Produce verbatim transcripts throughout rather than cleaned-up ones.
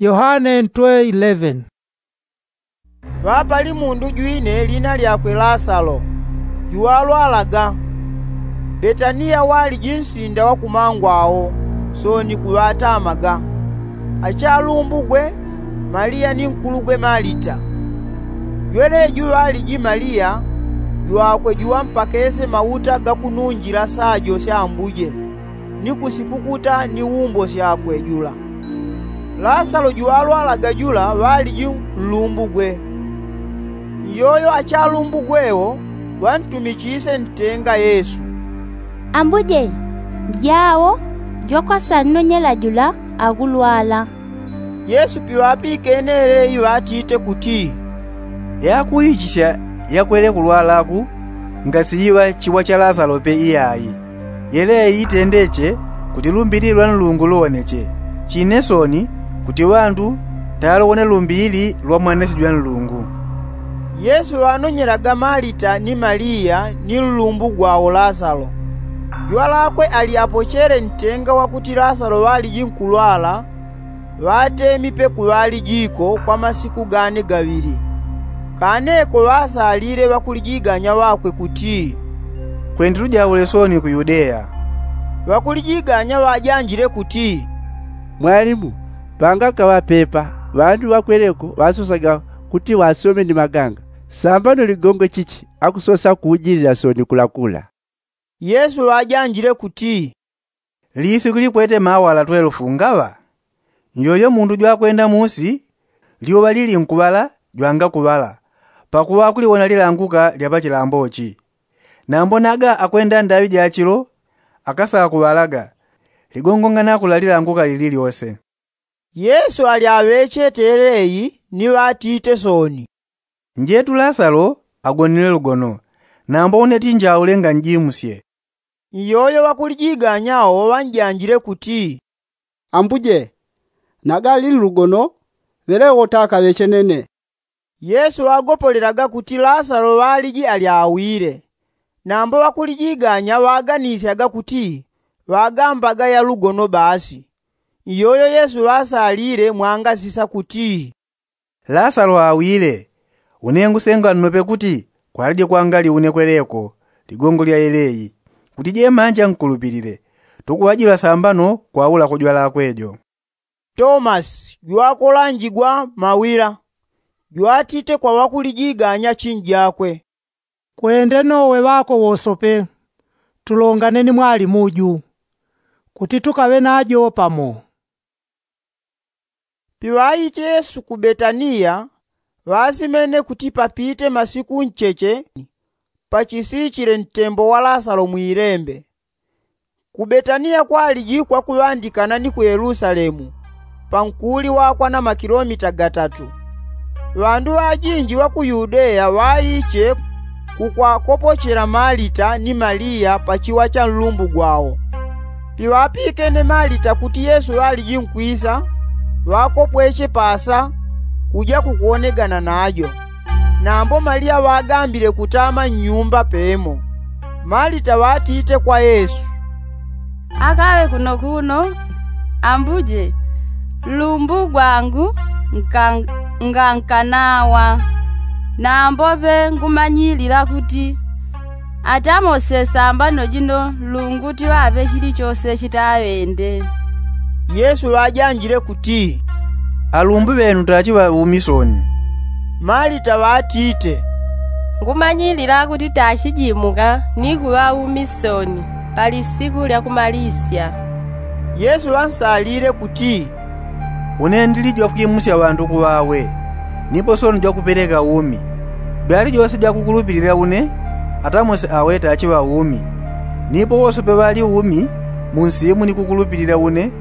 Yohane ntwe eleven. Ŵapali mundu jwine lina lyakwe lasalo, juwalwalaga. Betaniya waliji nsinda wa kumangwao, sooni kuŵatamaga achalumbugwe, maliya ni nkulugwe malita. Jweleju ŵaliji maliya jwakwe juwampakese mauta ga kununjila sajo sya ambuje, ni kusipukuta ni wumbo syakwe jula. Lasalo juwalwalaga jula ŵaliji nlumbugwe. Iyoyo achalumbugwe wo ŵantumichisye ntenga yesu. Ambuje, njao jwakwasannonyela jula akulwala. Yesu piŵapikene yeleyi ŵatite kuti, yakuichisya yakwele kulwalaku, ngasiiŵa chiwa cha lasalo pe iyayi. Yeleyi itendeche kuti lumbili lwa nlungu luwoneche, chine sooni kuti ŵandu talowone lumbili lwa mwanesi jwa nlungu. Yesu ŵanonyelaga malita ni maliya ni nlumbu gwawo lasalo. Jwalakwe ali apochele ntenga wakuti lasalo ŵaliji nkulwala, ŵatemi pe kuŵalijiko kwa masiku gane gaŵili. Kaneko ŵasalile ŵakulijiganya ŵakwe kuti, kwendile ujaule sooni ku yudeya. Ŵakulijiganya ŵajanjile kuti, mwalimu, pangakaŵa pepa ŵandu ŵakweleko ŵasosaga kuti ŵasome ni maganga, sambano ligongo chichi akusosa kuujilila sooni kulakula? Yesu ŵajanjile kuti, lisiku likwete mawala twelufu ngaŵa? Nyoyo mundu jwakwenda musi, lyuŵa lilinkuŵala jwangakuŵala, pakuŵa akuliwona lilanguka lya pachilambo chi. Nambo naga akwenda ndaŵi ja chilo, akasakuŵalaga, ligongo nganakula lilanguka lililyose. Yesu ali aŵechete yeleyi ni ŵatite sooni, njetu lasalo agonile lugono, nambo une tinjaule nganjimusye. Iyoyo ŵakulijiganya wo ŵanjanjile kuti, ambuje, naga ali nlugono, ŵelewo takaŵeche nene. Yesu ŵagopolelaga kuti lasalo ŵaliji ali awile. Nambo ŵakulijiganya ŵaganisyaga kuti ŵagambaga yalugono basi. Iyoyo yesu ŵasalile mwangasisa kuti, lasalo awile. Une ngusenga nnope kuti kwalije kwangali une kweleko ligongo lya yeleyi, kuti jemanja nkulupilile. Tukuŵajilwa sambano kwaula kujwalakwe jo. Tomasi jwakolanjigwa mawila, jwatite kwa ŵakulijiganya chinjakwe, kwende nowe ŵako wosope, tulongane ni mwalimu ju, kuti tukaŵe najo pamo. Piŵaiche yesu ku betaniya, ŵasimene kuti papite masiku ncheche, pachisichile ntembo wa lasalo mwilembe. Ku betaniya kwaliji kwakuŵandikana ni ku yelusalemu, pankuli wakwa na makilomita gatatu. Ŵandu ŵajinji ŵa ku yudeya ŵaiche kukwakopochela malita ni maliya pachiwa cha nlumbu gwawo. Piŵapikene malita kuti yesu ŵaliji nkwisa, ŵakopweche pasa kuja kukuwonegana najo. Nambo maliya ŵagambile kutama nnyumba pemo. Malita ŵatite kwa yesu, akaŵe kunokuno, ambuje, nlumbu gwangu ngankanawa. Nambo pe ngumanyilila kuti atamose sambano jino nlungu tiŵaŵe chilichose chitaŵende. Yesu ŵajanjile kuti, alumbu ŵenu tachiŵa umi soni. Malita ŵatite, ngumanyilila kuti tachijimuka ni kuŵa umi soni pa lisiku lya kumalisya. Yesu ŵansalile kuti, une ndili jwakwimusya ŵandu kuŵawe, nipo soni jwakupeleka umi. Byali jose jwakukulupilila une, atamose awe tachiŵa umi. Nipo wose peŵali umi munsimu ni kukulupilila une,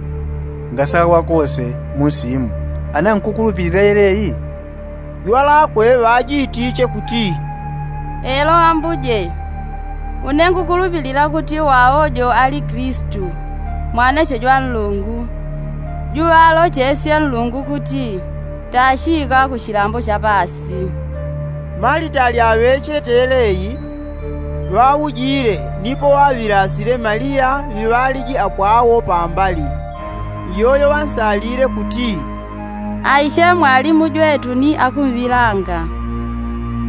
ngasawa kose munsimu. Ana nkukulupilila yeleyi? Jwalakwe ŵajitiche kuti, elo ambuje, une ngukulupilila kuti wawo jo ali kristu, mwaneche jwa nlungu, juŵalochesye nlungu kuti tachiika ku chilambo cha pasi. Malita ali aŵechete yeleyi, ŵaujile nipo ŵaŵilasile maliya ŵiŵaliji apwawo pambali. Iyoyo ŵansalile kuti, Aishe mwalimu jwetu ni akumvilanga.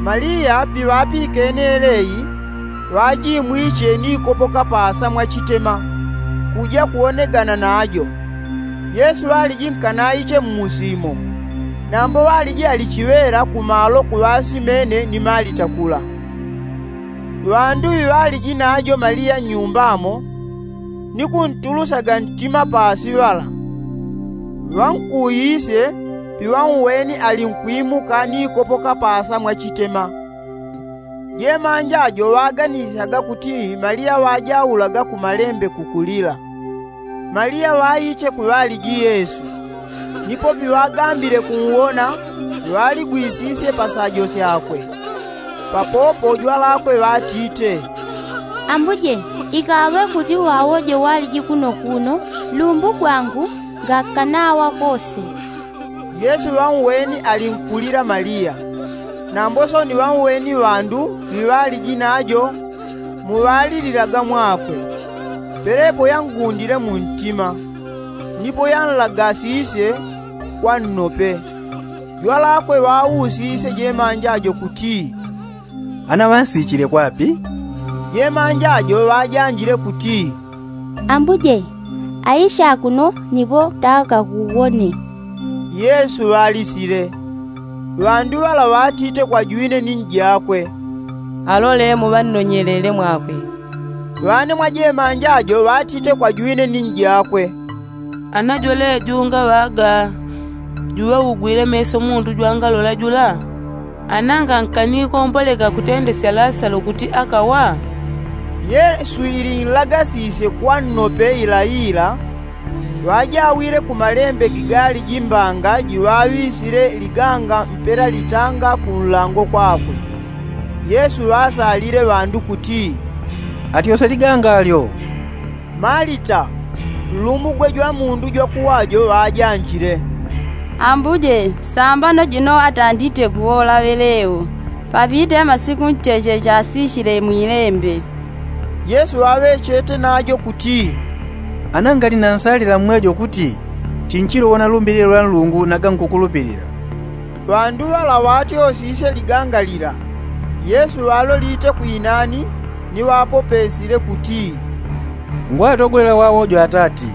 Maliya piŵapikene eleyi, ŵajimwiche ni kopoka paasa mwachitema, kuja kuwonegana najo. Yesu ŵaliji nkanaiche mmusi imo, nambo ŵaliji alichiŵela kumalo kuŵasimene ni malita kula. Ŵandu ŵiŵaliji najo maliya nnyumba mo, ni kuntulusyaga ntima paasi ŵala, ŵankuuyisye piŵaunweni alinkwimuka ni kopoka paasa mwachitema. Jemanja jo ŵaganisyaga kuti maliya ŵajaulaga kumalembe kukulila. Maliya ŵaiche kuŵaliji yesu, nipo piŵagambile kunwona, ŵaligwisisye pasajo syakwe. Papopo jwalakwe ŵatite, ambuje, ikaŵe kuti wawo jo waliji kuno kuno, lumbu gwangu ngakanawa kose. Yesu ŵaunweni alinkulila maliya. Nambo soni ŵaunweni ŵandu ŵiŵaliji najo, muŵalililaga mwakwe. Pelepo yangundile muntima, nipo yanlagasisye kwa nnope. Jwalakwe ŵausisye jemanja jo kuti, ana ŵansichile kwapi? Jemanja jo ŵajanjile kuti, ambuje, aisha kuno nipo takakuwone. Yesu ŵalisile. Ŵandu ŵala ŵatite kwa jwine ni njakwe, alole muŵannonyelele mwakwe. Ŵane mwa jemanja jo ŵatite kwa jwine ni njakwe, ana jwele junga ŵaga, juŵaugwile meso mundu jwangalola jula? Ana ngankanikompoleka kutendesya lasalo kuti akawa? Yesu ilinlagasisye kwa nnope ilaila, ŵajawile kumalembe gigaliji mbanga jiŵaŵisile liganga mpela litanga kunlango kwakwe. Yesu ŵasalile ŵandu kuti, atyose liganga lyo. Malita, nlumugwe jwa mundu jwakuwajo ŵajanjile, ambuje, sambano jino atandite kuwola ŵeleo, papite masiku ncheche chasishile mwilembe. Yesu ŵaŵechete najo kuti, ana ngali nansalila mmwejo kuti, chinchilo wona lumbilile lwa nlungu naga nkukulupilila. Ŵandu ŵala ŵatyosisye liganga lila, yesu ŵalolite kwinani, ni ŵapopesile kuti, ngwatogolela wawo jo atati,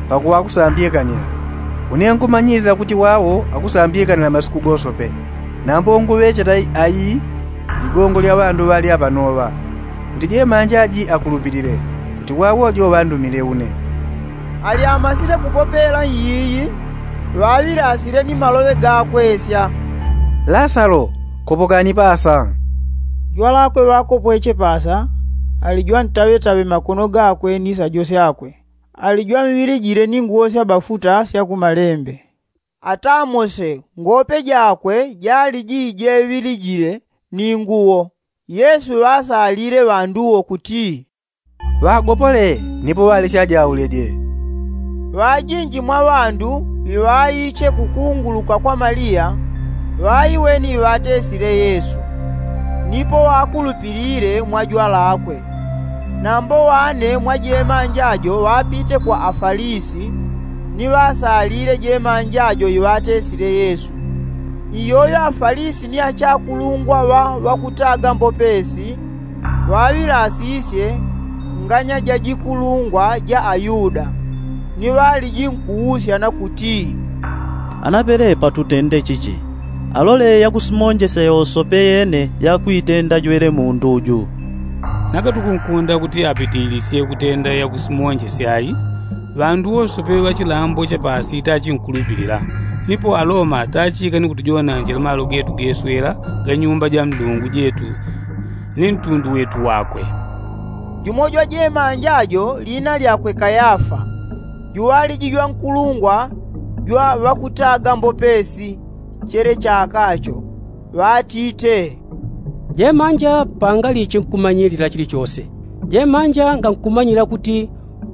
pakuŵa akusambyekanila. Une nkumanyilila kuti wawo akusambyekanila masiku gosope. Nambo nguŵecheta ayi ligongo lya ŵandu ŵalya panoŵa, kuti jemanja ji akulupilile, kuti wawo jo ŵandumile une. Alyamasile kupopela iyiyi, ŵaŵilasile ni maloŵe gakwesya, lasalo, kopokani pasa. Jwalakwe ŵakopweche pasa, ali jwantaŵetaŵe makono gakwe ni sajo syakwe, ali jwamŵilijile ni nguwo sya bafuta sya kumalembe. Atamose ngope jakwe jaliji jeŵilijile ni nguwo. Yesu ŵasalile ŵandu wo kuti, ŵagopole, nipo ŵalesya jauleje. Ŵajinji mwa ŵandu ŵiŵaiche kukunguluka kwa maliya, ŵaiweni iŵatesile yesu, nipo ŵakulupilile mwa jwalakwe. Nambo ŵane mwa jemanja jo ŵapite kwa afalisi, ni ŵasalile jemanja jo iŵatesile yesu. Iyoyo afalisi ni achakulungwa ŵa ŵakutaga mbopesi, ŵaŵilasisye nganya ja jikulungwa ja ayuda, ni ŵaliji nkuusya na kuti, ana pelepa tutende chichi? Alole yakusimonjesya yosope yene yakwitenda jwele mundu ju. Nanga tukunkunda kuti apitilisye kutenda yakusimonjesya ayi? Ŵandu wosope ŵa chilambo cha pasi tachinkulupilila, nipo aloma tachika ni kutujonanjila malo getu geswela ga nyumba ja nlungu jetu ni ntundu wetu wakwe. Jumo jwa jemanja jo lina lyakwe kayafa, juŵaliji jwankulungwa jwa ŵakutaga mbopesi, chele chaka cho, ŵatite, jemanja pangaliche nkumanyilila chilichose. Jemanja ngankumanyila kuti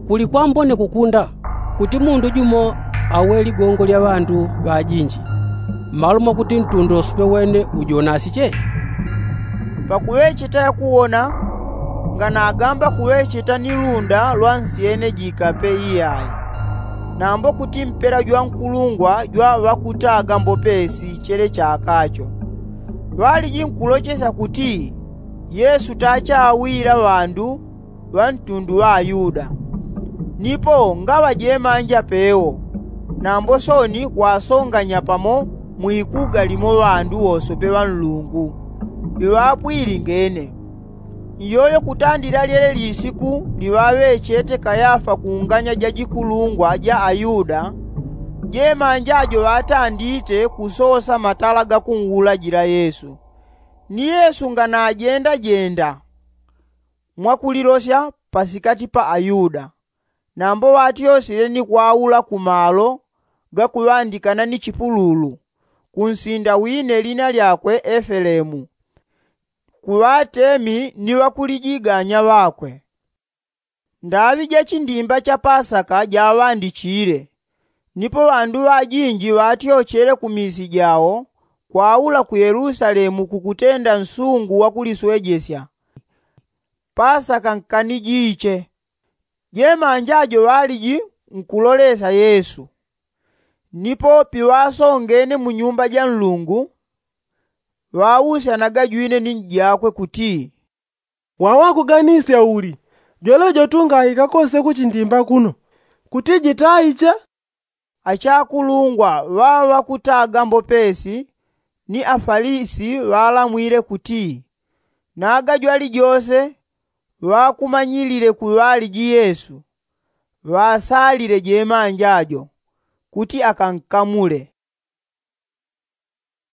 kuli kwambone kukunda kuti mundu jumo awe ligongo lya ŵandu ŵajinji, mmalo mwakuti ntundu wosope wene ujonasiche. Pakuŵecheta yakuwona, nganagamba kuŵecheta ni lunda lwa nsyene jikape iyai. nambo kuti mpela jwa nkulungwa jwa ŵakutaga mbopesi chele chakacho. Ŵaliji nkulochesya kuti yesu tachawila ŵandu ŵa ntundu ŵa ayuda. Nipo ngaŵa jemanja pewo nambo sooni kwasonganya pamo mwikuga limo ŵandu wosope ŵa nlungu iŵapwili ngene. Iyoyo kutandila lyele lisiku liŵaŵechete kayafa kunganya ja jikulungwa ja ayuda, jemanja jo ŵatandite kusosa matala gakunwulajila yesu. Ni yesu nganajendajenda mwakulilosya pasikati pa ayuda. Nambo ŵatyosile ni kwaula ku malo gakuŵandikana ni chipululu, kunsinda wine lina lyakwe efelemu, ku ŵatemi ni ŵakulijiganya ŵakwe. Ndaŵi ja chindimba cha pasaka jaŵandichile. Nipo ŵandu ŵajinji ŵatyochele ku misi jawo kwaula ku yelusalemu kukutenda nsungu wakuliswejesya. Pasaka nkanijiche. Jemanja jo ŵaliji nkulolesya yesu. Nipo piŵasongene mu nyumba ja nlungu, ŵausyanaga jwine ni njakwe kuti, waŵakuganisya uli? Jwele jo tungahika kose ku chindimba kuno kuti jitaiche? Achakulungwa ŵaŵa ŵakutaga mbopesi ni afalisi ŵalamwile kuti, naga jwalijose ŵakumanyilile ku ŵaliji yesu, ŵasalile jemanja jo kuti akankamule.